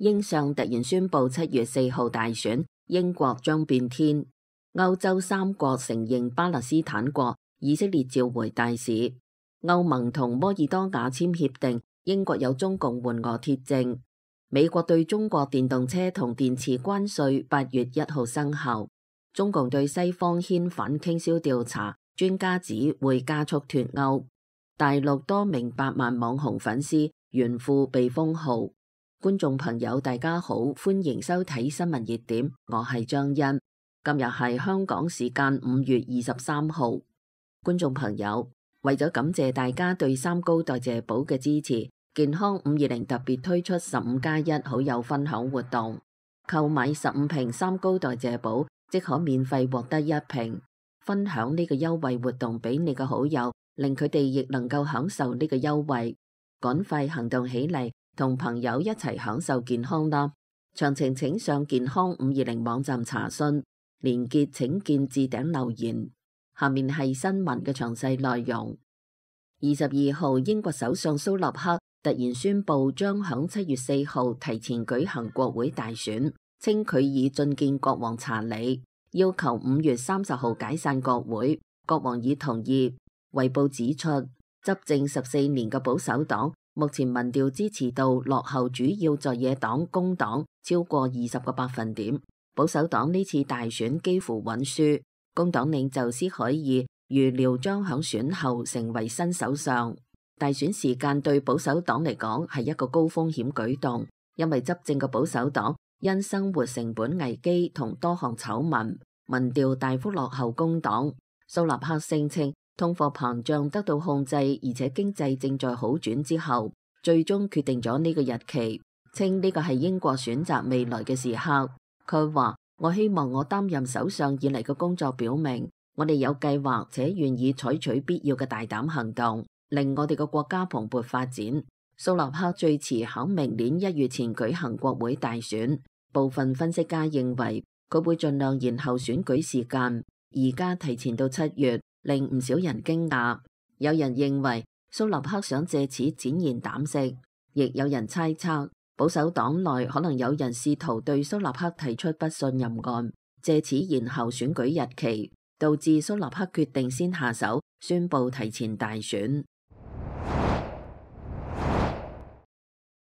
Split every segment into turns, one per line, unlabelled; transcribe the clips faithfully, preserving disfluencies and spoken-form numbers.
英相突然宣布七月四號大選，英國將變天。歐洲三國承認巴勒斯坦國，以色列召回大使。歐盟同摩爾多瓦簽協定，英國有中共援俄鐵證。美國對中國電動車同電池關稅八月一號生效。中共對西方牽反傾銷調查，專家指會加速脫歐。大陸多名百萬網紅粉絲炫富被封號。觀眾朋友大家好，歡迎收睇新聞熱點，我係張欣。今日係香港時間五月二十三號。觀眾朋友，為咗感謝大家對三高代謝寶嘅支持，健康五二零特別推出十五加一好友分享活動，購買十五瓶三高代謝寶即可免費獲得一瓶。分享呢個優惠活動俾你嘅好友，令佢哋亦能夠享受呢個優惠。趕快行動起嚟，同朋友一齊享受健康啦！詳情請上健康五二零網站查詢，連結請見置頂留言。下面係新聞嘅詳細內容。二十二號，英國首相蘇納克突然宣布將響七月四號提前舉行國會大選，稱佢已進見國王查理，要求五月三十號解散國會。國王已同意。衛報指出，執政十四年嘅保守黨目前民調支持度落後主要在野黨工黨超過二十個百分點。保守黨呢次大選幾乎穩輸，工黨領袖斯凱爾預料將響選後成為新首相。大選時間對保守黨嚟講係一個高風險舉動，因為執政嘅保守黨因生活成本危機同多項醜聞，民調大幅落後工黨。蘇納克聲稱通貨膨脹得到控制，而且經濟正在好轉之後，最終決定咗呢個日期，稱呢個係英國選擇未來嘅時刻。佢話：我希望我擔任首相以嚟嘅工作表明，我哋有計劃且願意採取必要嘅大膽行動，令我哋嘅國家蓬勃發展。蘇納克最遲喺明年一月前舉行國會大選。部分分析家認為佢會盡量延後選舉時間，而家提前到七月，令唔少人驚訝。有人認為蘇納克想借此展現膽識，亦有人猜測保守黨內可能有人試圖對蘇納克提出不信任案，借此延後選舉日期，導致蘇納克決定先下手，宣布提前大選。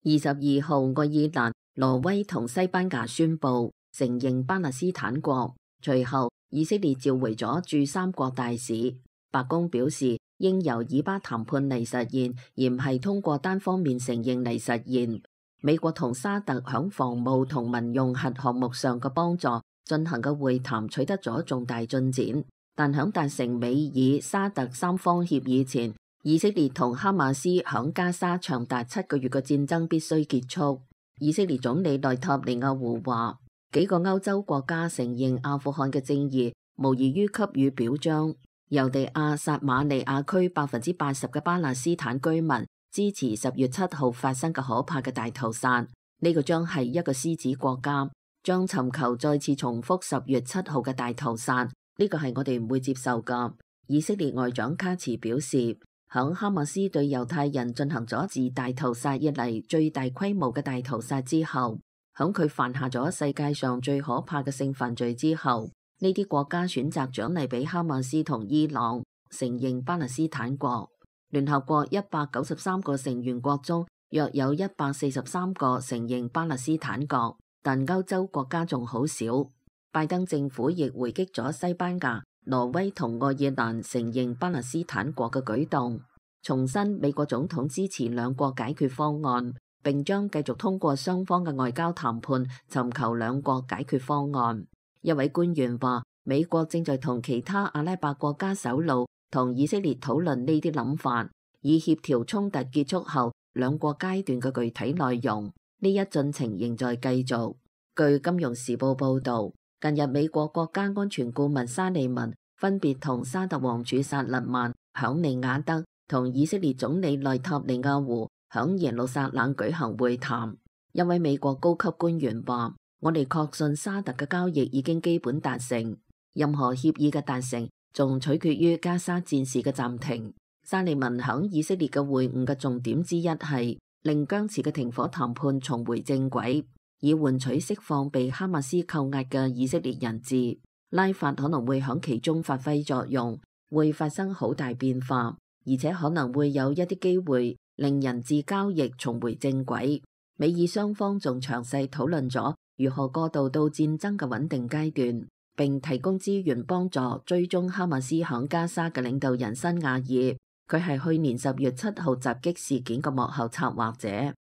二十二號，愛爾蘭、挪威同西班牙宣布承認巴勒斯坦國，隨後以色列召回咗駐三國大使。白宮表示，應由以巴談判嚟實現，而唔係通過單方面承認嚟實現。美國同沙特響防務同民用核項目上嘅幫助進行嘅會談取得咗重大進展，但響達成美以沙特三方協議前，以色列同哈馬斯響加沙長達七個月嘅戰爭必須結束。以色列總理內塔尼亞胡話，幾個歐洲國家承認阿富汗嘅正義，無異於給予表彰。猶地亞薩馬利亞區百分之八十嘅巴勒斯坦居民支持十月七號發生嘅可怕嘅大屠殺。呢、這個將係一個獅子國家，將尋求再次重複十月七號嘅大屠殺。呢、這個係我哋唔會接受噶。以色列外長卡茨表示，響哈馬斯對猶太人進行咗自大屠殺以嚟最大規模嘅大屠殺之後，響佢犯下咗世界上最可怕嘅性犯罪之後，呢啲國家選擇獎勵俾哈馬斯同伊朗，承認巴勒斯坦國。聯合國一百九十三個成員國中，約有一百四十三個承認巴勒斯坦國，但歐洲國家仲好少。拜登政府亦回擊咗西班牙、挪威同愛爾蘭承認巴勒斯坦國嘅舉動，重申美國總統支持兩國解決方案，並將繼續通過雙方嘅外交談判尋求兩國解決方案。一位官員話，美國正在同其他阿拉伯國家首腦同以色列討論呢啲諗法，以協調衝突結束後兩國階段嘅具體內容。呢一進程仍在繼續。據金融時報報道，近日美國國家安全顧問沙利文分別同沙特王儲薩勒曼、響利雅德同以色列總理內塔尼亞胡響耶路撒冷舉行會談。一位美國高級官員話，我哋確信沙特嘅交易已經基本達成，任何協議嘅達成仲取決於加沙戰事嘅暫停。沙利文響以色列嘅會晤嘅重點之一係令僵持嘅停火談判重回正軌。以換取釋放被哈馬斯扣押嘅以色列人質。拉法可能會響其中發揮作用，會發生好大變化，而且可能會有一啲機會令人質交易重回正軌。美以雙方仲詳細討論咗如何過渡到戰爭嘅穩定階段，並提供資源幫助追蹤哈馬斯響加沙嘅領導人辛亞爾。佢係去年十月七號襲擊事件嘅幕後策劃者。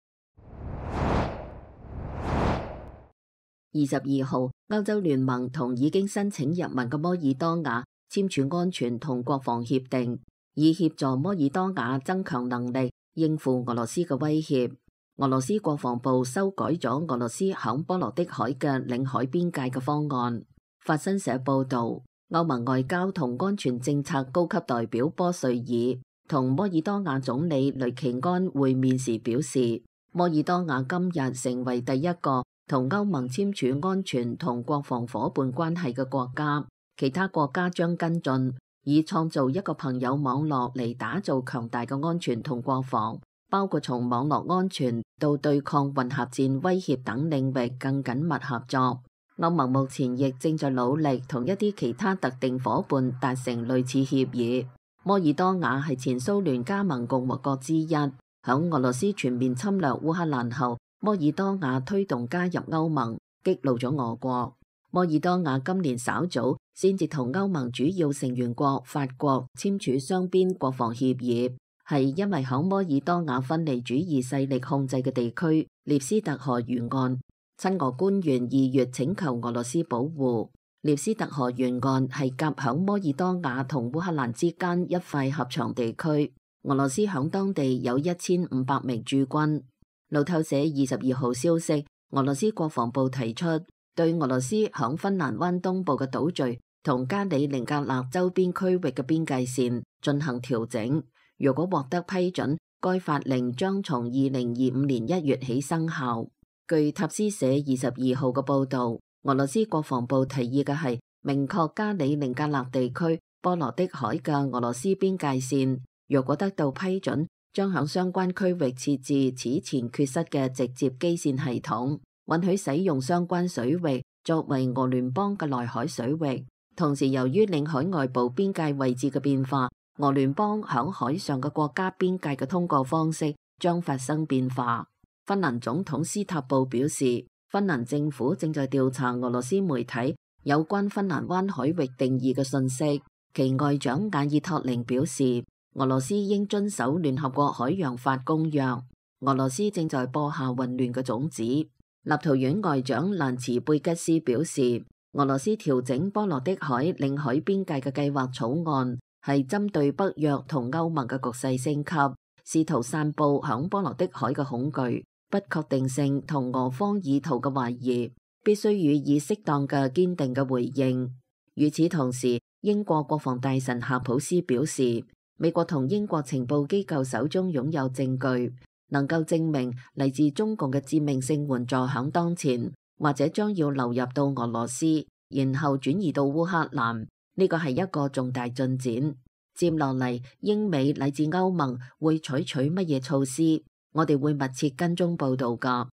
二十二號，歐洲聯盟同已經申請入盟嘅摩爾多瓦簽署安全同國防協定，以協助摩爾多瓦增強能力應付俄羅斯嘅威脅。俄羅斯國防部修改咗俄羅斯響波羅的海嘅領海邊界嘅方案。法新社報道，歐盟外交同安全政策高級代表波瑞爾同摩爾多瓦總理雷奇安會面時表示，摩爾多瓦今日成為第一個同歐盟簽署安全同國防夥伴關係嘅國家，其他國家將跟進，以創造一個朋友網絡嚟打造強大嘅安全同國防，包括從網絡安全到對抗混合戰威脅等領域更緊密合作。歐盟目前亦正在努力同一啲其他特定夥伴達成類似協議。摩爾多瓦係前蘇聯加盟共和國之一，響俄羅斯全面侵略烏克蘭後，摩爾多瓦推動加入歐盟，激怒咗俄國。摩爾多瓦今年稍早先至同歐盟主要成員國法國簽署雙邊國防協議，係因為響摩爾多瓦分離主義勢力控制嘅地區涅斯特河沿岸，親俄官員二月請求俄羅斯保護。涅斯特河沿岸係夾響摩爾多瓦同烏克蘭之間一塊狹長地區，俄羅斯響當地有一千五百名駐軍。路透社二十二號消息，俄羅斯國防部提出對俄羅斯響芬蘭灣東部嘅島嶼同加里寧格勒周邊區域嘅邊界線進行調整。如果獲得批准，該法令將從二零二五年一月起生效。據塔斯社二十二號嘅報導，俄羅斯國防部提議嘅係明確加里寧格勒地區波羅的海嘅俄羅斯邊界線。若果得到批准，將響相關區域設置此前缺失嘅直接基線系統，允許使用相關水域作為俄聯邦嘅內海水域。同時，由於領海外部邊界位置嘅變化，俄聯邦響海上嘅國家邊界嘅通過方式將發生變化。芬蘭總統斯塔布表示，芬蘭政府正在調查俄羅斯媒體有關芬蘭灣海域定義嘅信息。其外長亞爾托寧表示，俄羅斯應遵守聯合國海洋法公約。俄羅斯正在播下混亂嘅種子。立陶宛外長蘭茨貝吉斯表示，俄羅斯調整波羅的海領海邊界嘅計劃草案係針對北約同歐盟嘅局勢升級，試圖散布響波羅的海嘅恐懼、不確定性同俄方意圖嘅懷疑，必須予以適當嘅堅定嘅回應。與此同時，英國國防大臣夏普斯表示，美國同英國情報機構手中擁有證據，能夠證明嚟自中共嘅致命性援助響當前或者將要流入到俄羅斯，然後轉移到烏克蘭。呢個係一個重大進展。接落嚟，英美乃至歐盟會採取乜嘢措施？我哋會密切跟蹤報道㗎。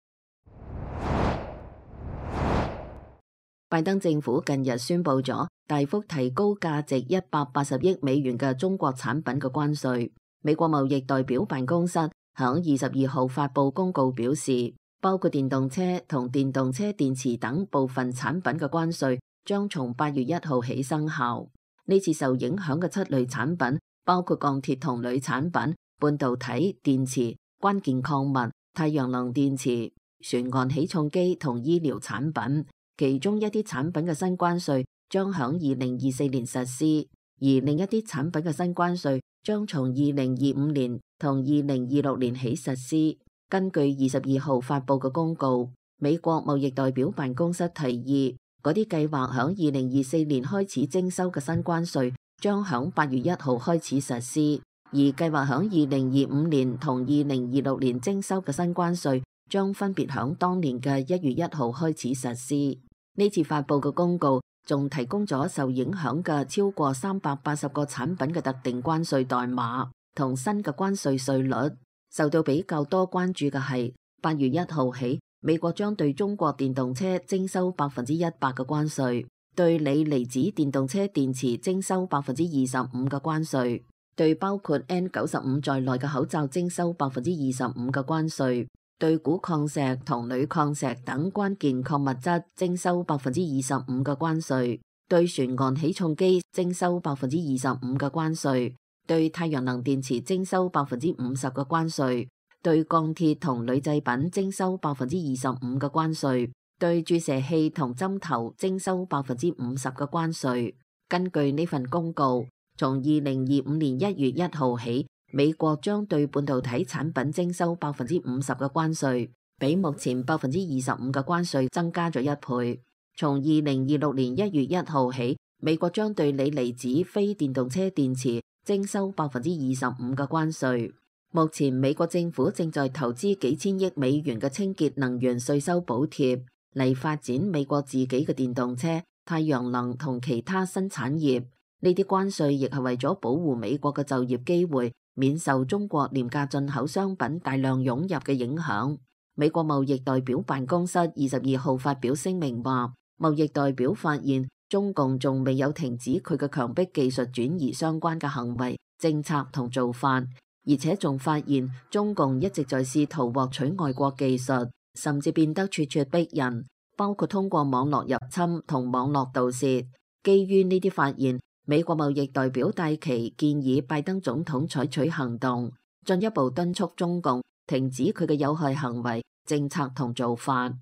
拜登政府近日宣布咗大幅提高價值一百八十億美元嘅中國產品嘅關稅。美國貿易代表辦公室響二十二號發布公告表示，包括電動車同電動車電池等部分產品嘅關稅將從八月一號起生效。呢次受影響嘅七類產品包括鋼鐵同鋁產品、半導體、電池、關鍵礦物、太陽能電池、船岸起重機同醫療產品。其中一啲產品嘅新關稅將響二零二四年實施，而另一啲產品嘅新關稅將從二零二五年同二零二六年起實施。根據二十二號發布嘅公告，美國貿易代表辦公室提議，嗰啲計劃響二零二四年開始徵收嘅新關稅將響八月一號開始實施，而計劃響二零二五年同二零二六年徵收嘅新關稅將分別響當年嘅一月一號開始實施。呢次發布嘅公告仲提供咗受影響嘅超過三百八十個產品嘅特定關稅代碼同新嘅關稅稅率。受到比較多關注嘅係八月一號起，美國將對中國電動車徵收百分之一百嘅關稅，對鋰離子電動車電池徵收百分之二十五嘅關稅，對包括 N 九十五在內嘅口罩徵收百分之二十五嘅關稅，對鈷礦石同鋁礦石等關鍵礦物質徵收百分之二十五嘅關稅，對船岸起重機徵收百分之二十五嘅關稅，對太陽能電池徵收百分之五十嘅關稅，對鋼鐵同鋁製品徵收百分之二十五嘅關稅，對注射器同針頭徵收百分之五十嘅關稅。根據呢份公告，從二零二五年一月一號起，美國將對半導體產品徵收百分之五十嘅關稅，比目前百分之二十五嘅關稅增加咗一倍。從二零二六年一月一號起，美國將對鋰離子非電動車電池徵收百分之二十五嘅關稅。目前美國政府正在投資幾千億美元嘅清潔能源稅收補貼嚟發展美國自己嘅電動車、太陽能同其他新產業。呢啲關稅亦係為咗保護美國嘅就業機會，免受中國廉價進口商品大量湧入嘅影響。美國貿易代表辦公室二十二號發表聲明話，貿易代表發現中共仲未有停止佢嘅強迫技術轉移相關嘅行為、政策同做法，而且仲發現中共一直在試圖獲取外國技術，甚至變得咄咄逼人，包括通過網絡入侵同網絡盜竊。基於呢啲發現，美國貿易代表戴琪建議拜登總統採取行動，進一步敦促中共停止佢嘅有害行為、政策同做法。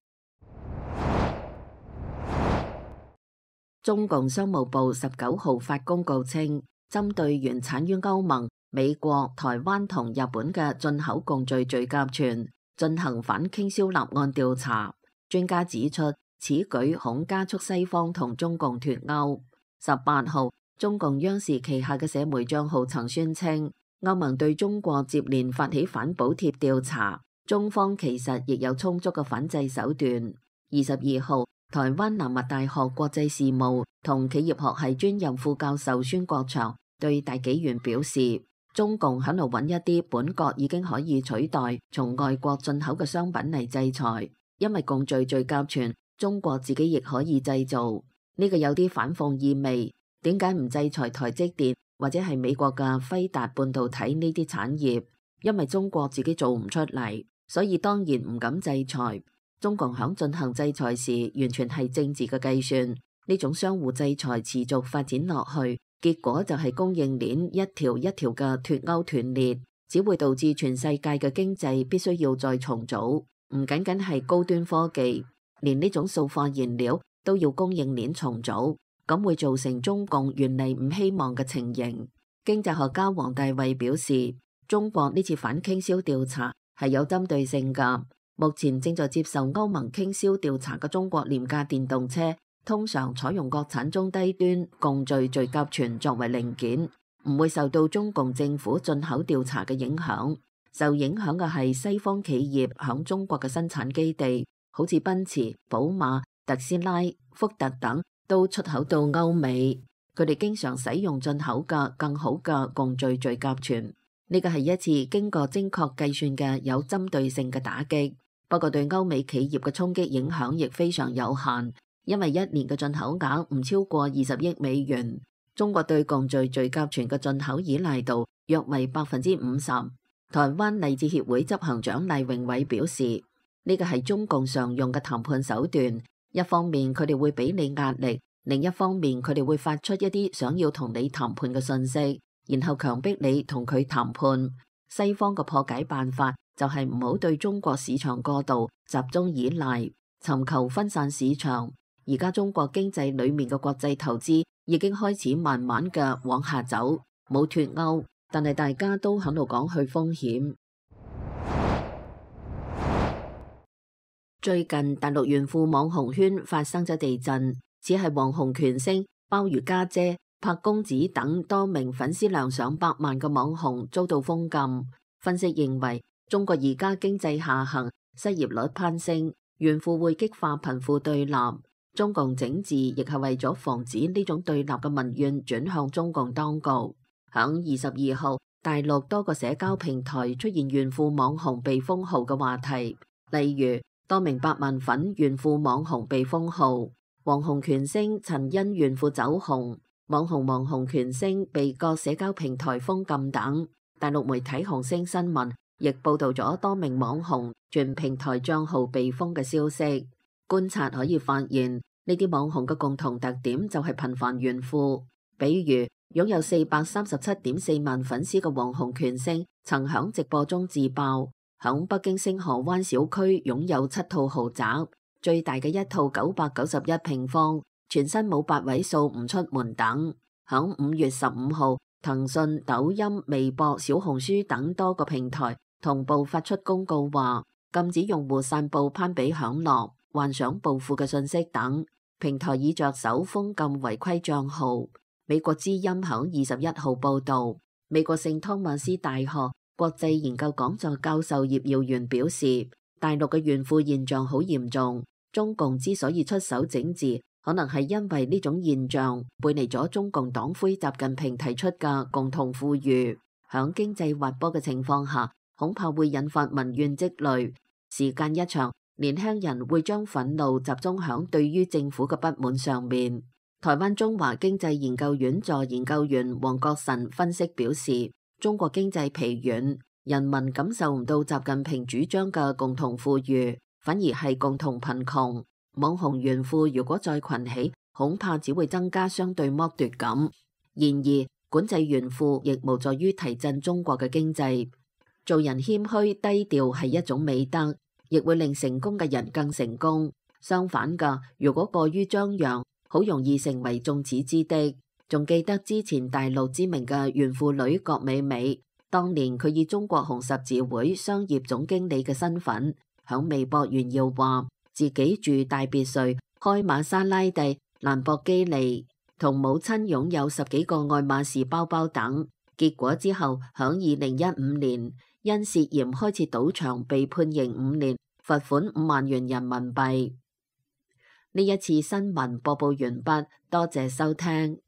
中共商務部十九號發公告稱，針對原產於歐盟、美國、台灣同日本嘅進口共聚聚甲醛進行反傾銷立案調查。專家指出，此舉恐加速西方同中共脫鈎。十八號，中共央視旗下嘅社媒賬號曾宣稱，歐盟對中國接連發起反補貼調查，中方其實亦有充足嘅反制手段。二十二號，台灣南華大學國際事務同企業學系專任副教授孫國祥對大紀元表示，中共喺度揾一啲本國已經可以取代從外國進口嘅商品嚟制裁，因為共聚聚甲醛中國自己亦可以製造，呢個有啲反諷意味。點解唔制裁台積電或者係美國嘅輝達半導體呢啲產業？因為中國自己做唔出嚟，所以當然唔敢制裁。中共響進行制裁時，完全係政治嘅計算。呢種相互制裁持續發展落去，結果就係供應鏈一條一條嘅脫鈎斷裂，只會導致全世界嘅經濟必須要再重組。唔僅僅係高端科技，連呢種塑化燃料都要供應鏈重組，咁會造成中共原嚟唔希望嘅情形。經濟學家王大衛表示，中國呢次反傾銷調查係有針對性㗎。目前正在接受歐盟傾銷調查嘅中國廉價電動車，通常採用國產中低端共聚聚甲醛作為零件，唔會受到中共政府進口調查嘅影響。受影響嘅係西方企業響中國嘅生產基地，好似奔馳、寶馬、特斯拉、福特等都出口到歐美，佢哋經常使用進口嘅更好嘅共聚聚甲醛。呢個係一次經過精確計算嘅有針對性嘅打擊。不過對歐美企業嘅衝擊影響亦非常有限，因為一年嘅進口額唔超過二十億美元。中國對共聚聚甲醛嘅進口依賴度約為百分之五十。台灣勵志協會執行長賴榮偉表示，呢個係中共常用嘅談判手段。一方面佢哋會俾你壓力，另一方面佢哋會發出一啲想要同你談判嘅信息，然後強迫你同佢談判。西方嘅破解辦法就係唔好對中國市場過度集中依賴，尋求分散市場。而家中國經濟裏面嘅國際投資已經開始慢慢嘅往下走，冇脫鈎，但係大家都喺度講去風險。最近大陸炫富網紅圈發生咗地震，只係網紅權星、鮑魚家姐、柏公子等多名粉絲量上百萬嘅網紅遭到封禁。分析認為，中國而家經濟下行，失業率攀升，炫富會激化貧富對立。中共整治亦係為咗防止呢種對立嘅民怨轉向中共當局。響二十二號，大陸多個社交平台出現炫富網紅被封號嘅話題，例如多名百萬粉炫富網紅被封號，網紅權星曾因炫富走紅，網紅網紅權星被各社交平台封禁等。大陸媒體紅星新聞亦報道咗多名網紅全平台賬號被封嘅消息。觀察可以發現，呢啲網紅嘅共同特點就係頻繁炫富。比如擁有四百三十七點四萬粉絲嘅網紅權星，曾響直播中自爆，響北京星河灣小區擁有七套豪宅，最大嘅一套九百九十一平方，全新冇八位數唔出門等。響五月十五號，騰訊、抖音、微博、小紅書等多個平台同步發出公告，話禁止用戶散布攀比享樂、幻想暴富嘅信息等。平台已着手封禁違規賬號。美國之音響二十一號報道，美國聖湯馬斯大學國際研究講座教授葉耀元表示，大陸嘅炫富現象好嚴重。中共之所以出手整治，可能係因為呢種現象背離咗中共黨魁習近平提出嘅共同富裕。響經濟滑坡嘅情況下，恐怕會引發民怨積累。時間一長，年輕人會將憤怒集中響對於政府嘅不滿上面。台灣中華經濟研究院助研究員黃國臣分析表示，中國經濟疲軟，人民感受唔到習近平主張嘅共同富裕，反而係共同貧窮。網紅炫富如果再群起，恐怕只會增加相對剝奪感。然而，管制炫富亦無助於提振中國嘅經濟。做人謙虛低調係一種美德，亦會令成功嘅人更成功。相反嘅，如果過於張揚，好容易成為眾矢之的。仲記得之前大陸知名嘅炫富女郭美美，當年佢以中國紅十字會商業總經理嘅身份，響微博炫耀話自己住大別墅、開瑪莎拉蒂、蘭博基尼，同母親擁有十幾個愛馬仕包包等。結果之後響二零一五年因涉嫌開設賭場被判刑五年，罰款五萬元人民幣。呢一次新聞播報完畢，多謝收聽。